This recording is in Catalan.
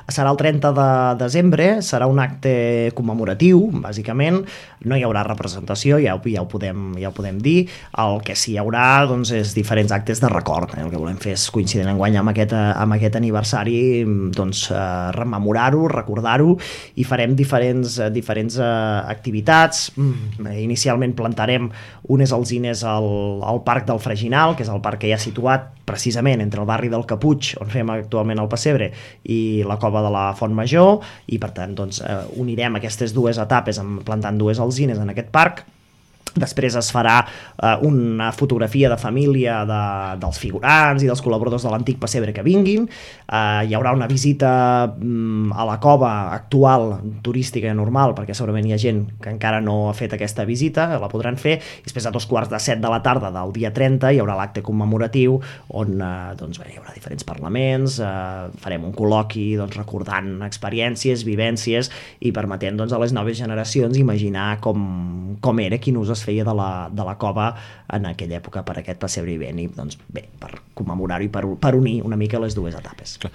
Serà el 30 de desembre, serà un acte commemoratiu, bàsicament, no hi haurà representació, ja ho podem dir. El que sí hi haurà doncs, és diferents actes de record. El que volem fer és coincident enguany amb aquest aniversari, doncs, rememorar-ho, recordar-ho, i farem diferents activitats. Inicialment plantarem unes alzines al Parc del Freginal, que és el parc que hi ha situat precisament entre el barri del Caputx, on fem actualment el pessebre, i la cova de la Font Major, i per tant doncs, unirem aquestes dues etapes plantant dues alzines en aquest parc. Després es farà una fotografia de família dels figurants i dels col·laboradors de l'antic pessebre que vinguin. Hi haurà una visita a la cova actual, turística normal, perquè segurament hi ha gent que encara no ha fet aquesta visita, la podran fer. I després a 2:15 de la tarda del dia 30 hi haurà l'acte commemoratiu on doncs, hi haurà diferents parlaments, farem un col·loqui doncs, recordant experiències, vivències i permetent doncs, a les noves generacions imaginar com era, quin ús es feia de la cova en aquella època per aquest pessebre vivent, i doncs bé, per commemorar-ho i per unir una mica les dues etapes. Clar.